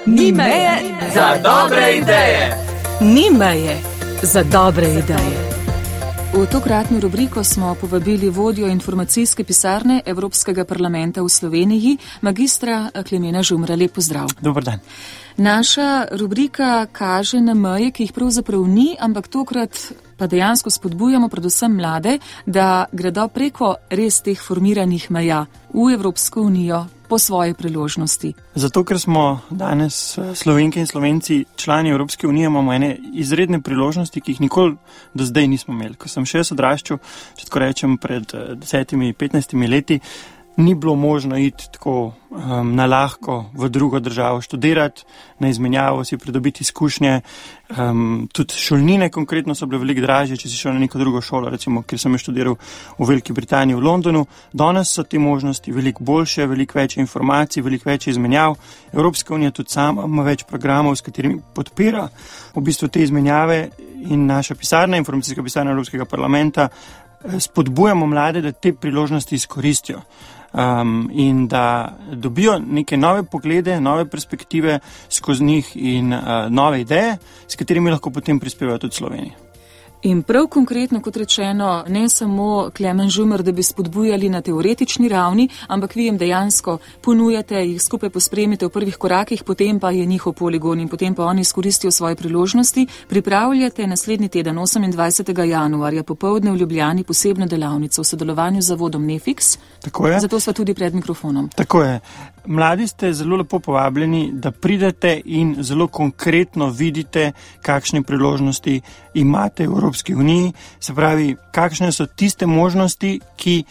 Ni meje za dobre ideje. Ni meje za dobre ideje. V tokratno rubriko smo povabili vodjo informacijske pisarne Evropskega parlamenta v Sloveniji, magistra Klemena Žumra. Lep pozdrav. Dober dan. Naša rubrika kaže na meje, ki jih pravzaprav ni, ampak tokrat pa dejansko spodbujamo predvsem mlade, da gredo preko res teh formiranih meja v Evropsko unijo po svoje priložnosti. Zato, ker smo danes Slovenke in Slovenci člani Evropske unije, imamo ene izredne priložnosti, ki jih nikoli do zdaj nismo imeli. Ko sem še odraščal, če tako rečem, pred 10-15 leti, ni bilo možno iti tako na lahko v drugo državo študirati, na izmenjavo si pridobiti izkušnje. Tudi šolnine konkretno so bile veliko dražje, če si šel na neko drugo šolo, recimo, ker sem študiral v Veliki Britaniji, v Londonu. Danes so te možnosti veliko boljše, veliko več informacij, veliko več izmenjav. Evropska unija tudi sama ima več programov, s katerimi podpira v bistvu te izmenjave, in naša pisarna, informacijska pisarna Evropskega parlamenta, spodbujamo mlade, da te priložnosti izkoristijo. In da dobijo neke nove poglede, nove perspektive skozi njih in nove ideje, s katerimi lahko potem prispevajo tudi Sloveniji. In prav konkretno, kot rečeno, ne samo Klemen Žumer, da bi spodbujali na teoretični ravni, ampak vi jim dejansko ponujate, jih skupaj pospremite v prvih korakih, potem pa je njihov poligon in potem pa oni izkoristijo svoje priložnosti. Pripravljate naslednji teden, 28. januarja, popoldne v Ljubljani, posebno delavnico v sodelovanju z zavodom Nefix. Tako je. Zato sva tudi pred mikrofonom. Tako je. Mladi ste zelo lepo povabljeni, da pridete in zelo konkretno vidite, kakšne priložnosti imate v Evropski uniji, se pravi, kakšne so tiste možnosti, ki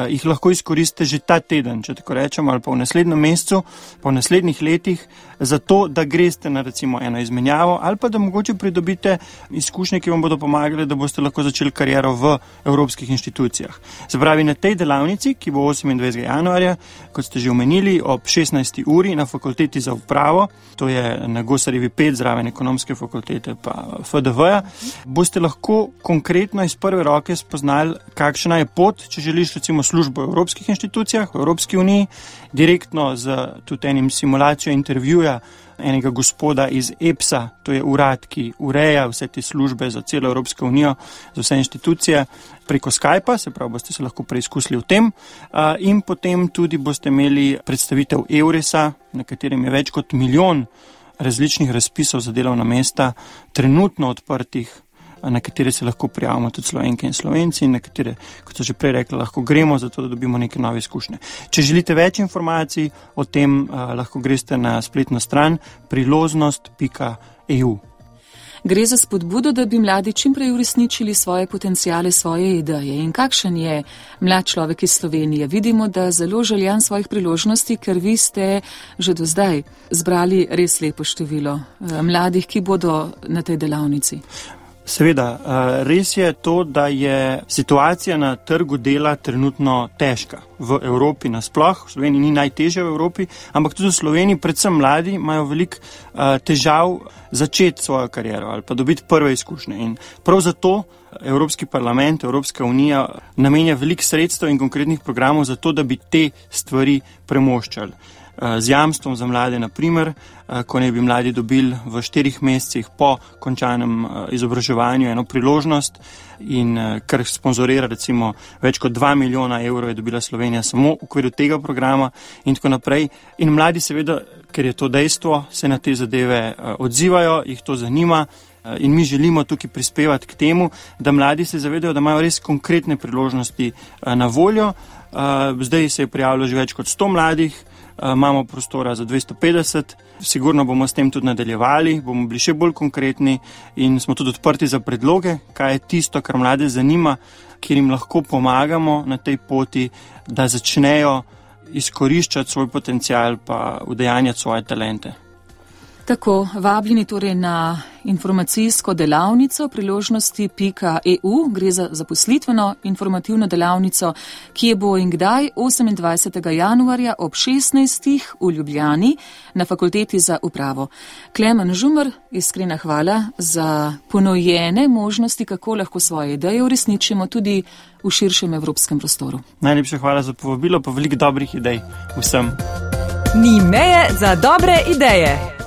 jih lahko izkoristite že ta teden, če tako rečemo, ali pa v naslednjem mesecu, pa v naslednjih letih, zato, da greste na recimo eno izmenjavo, ali pa da mogoče pridobite izkušnje, ki vam bodo pomagali, da boste lahko začeli kariero v evropskih inštitucijah. Se pravi, na tej delavnici, ki bo 28. januarja, kot ste že omenili, ob 16. uri na fakulteti za upravo, to je na Gosarjevi 5, zraven ekonomske fakultete pa FDV-ja, boste lahko konkretno iz prve roke spoznali, kakšna je pot, če želiš recimo službo v evropskih inštitucijah, v Evropski uniji, direktno z tudi enim simulacijo intervjuja enega gospoda iz EPS-a, to je urad, ki ureja vse te službe za celo Evropsko unijo, za vse inštitucije, preko Skypa, se pravi, boste se lahko preizkusili v tem, in potem tudi boste imeli predstavitev EURES-a, na katerem je več kot 1 milijon različnih razpisov za delovna mesta, trenutno odprtih, na katere se lahko prijavimo tudi Slovenke in Slovenci in na katere, kot so že prej rekli, lahko gremo, zato da dobimo neke nove izkušnje. Če želite več informacij o tem, lahko greste na spletno stran priložnost.eu. Gre za spodbudo, da bi mladi čim prej uresničili svoje potencijale, svoje ideje. In kakšen je mlad človek iz Slovenije? Vidimo, da zelo željan svojih priložnosti, ker vi ste že do zdaj zbrali res lepo število mladih, ki bodo na tej delavnici. Seveda, res je to, da je situacija na trgu dela trenutno težka. V Evropi nasploh, v Sloveniji ni najtežja v Evropi, ampak tudi v Sloveniji, predvsem mladi, imajo veliko težav začeti svojo kariero ali pa dobiti prve izkušnje. In prav zato Evropski parlament, Evropska unija namenja veliko sredstev in konkretnih programov za to, da bi te stvari premoščali. Z jamstvom za mlade, na primer, ko ne bi mladi dobili v 4 mesecih po končanem izobraževanju eno priložnost in kar sponzorira recimo več kot 2 milijona evrov je dobila Slovenija samo v okviru tega programa in tako naprej. In mladi seveda, ker je to dejstvo, se na te zadeve odzivajo, jih to zanima. In mi želimo tukaj prispevati k temu, da mladi se zavedajo, da imajo res konkretne priložnosti na voljo. Zdaj se je prijavilo že več kot 100 mladih, imamo prostora za 250, sigurno bomo s tem tudi nadaljevali, bomo bili še bolj konkretni in smo tudi odprti za predloge, kaj je tisto, kar mlade zanima, kjer jim lahko pomagamo na tej poti, da začnejo izkoriščati svoj potencial pa udejanjati svoje talente. Tako, vabljeni torej na informacijsko delavnico priložnosti.eu, gre za zaposlitveno informativno delavnico, ki bo in kdaj 28. januarja ob 16. v Ljubljani na fakulteti za upravo. Klemen Žumer, iskrena hvala za ponujene možnosti, kako lahko svoje ideje uresničimo tudi v širšem evropskem prostoru. Najlepša hvala za povabilo, pa veliko dobrih idej vsem. Ni meje za dobre ideje.